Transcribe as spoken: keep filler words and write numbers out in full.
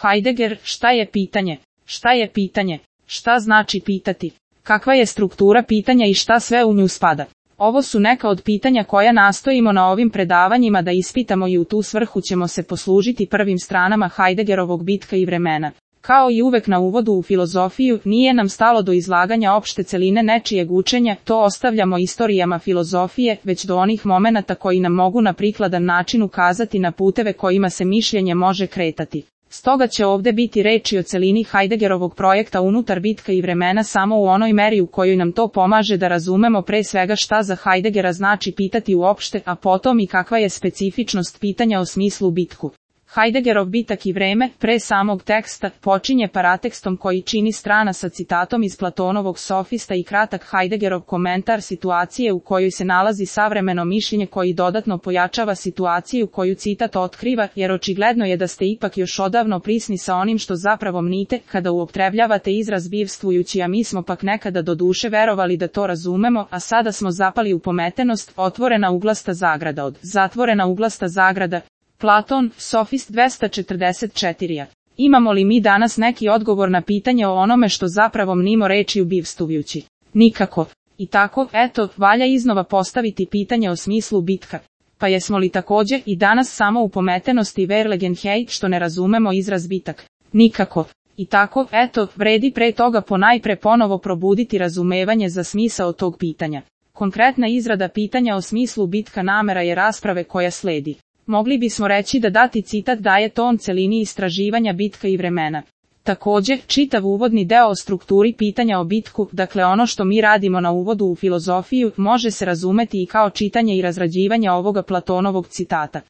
Heidegger, šta je pitanje? Šta je pitanje? Šta znači pitati? Kakva je struktura pitanja i šta sve u nju spada? Ovo su neka od pitanja koja nastojimo na ovim predavanjima da ispitamo i u tu svrhu ćemo se poslužiti prvim stranama Heideggerovog Bitka i vremena. Kao i uvek na uvodu u filozofiju, nije nam stalo do izlaganja opšte celine nečijeg učenja, to ostavljamo istorijama filozofije, već do onih momenata koji nam mogu na prikladan način ukazati na puteve kojima se mišljenje može kretati. Stoga će ovde biti reči o celini Heideggerovog projekta unutar Bitka i vremena samo u onoj meri u kojoj nam to pomaže da razumemo pre svega šta za Heideggera znači pitati uopšte, a potom i kakva je specifičnost pitanja o smislu bitku. Heideggerov Bitak i vreme, pre samog teksta, počinje paratekstom koji čini strana sa citatom iz Platonovog Sofista i kratak Heideggerov komentar situacije u kojoj se nalazi savremeno mišljenje koji dodatno pojačava situaciju koju citat otkriva, jer očigledno je da ste ipak još odavno prisni sa onim što zapravo mnite, kada uoptrebljavate izraz bivstvujući, a mi smo pak nekada do duše verovali da to razumemo, a sada smo zapali u pometenost, otvorena uglasta zagrada od zatvorena uglasta zagrada. Platon, Sofist dvesta četrdeset četiri. Imamo li mi danas neki odgovor na pitanje o onome što zapravo mnimo rečju bivstvujući? Nikako. I tako, eto, valja iznova postaviti pitanje o smislu bitka. Pa jesmo li takođe i danas samo u pometenosti Verlegenheit što ne razumemo izraz bitak? Nikako. I tako, eto, vredi pre toga ponajpre ponovo probuditi razumevanje za smisao tog pitanja. Konkretna izrada pitanja o smislu bitka namera je rasprave koja sledi. Mogli bismo reći da dati citat daje ton celini istraživanja bitka i vremena. Takođe, čitav uvodni deo o strukturi pitanja o bitku, dakle ono što mi radimo na uvodu u filozofiju, može se razumeti i kao čitanje i razrađivanje ovoga Platonovog citata.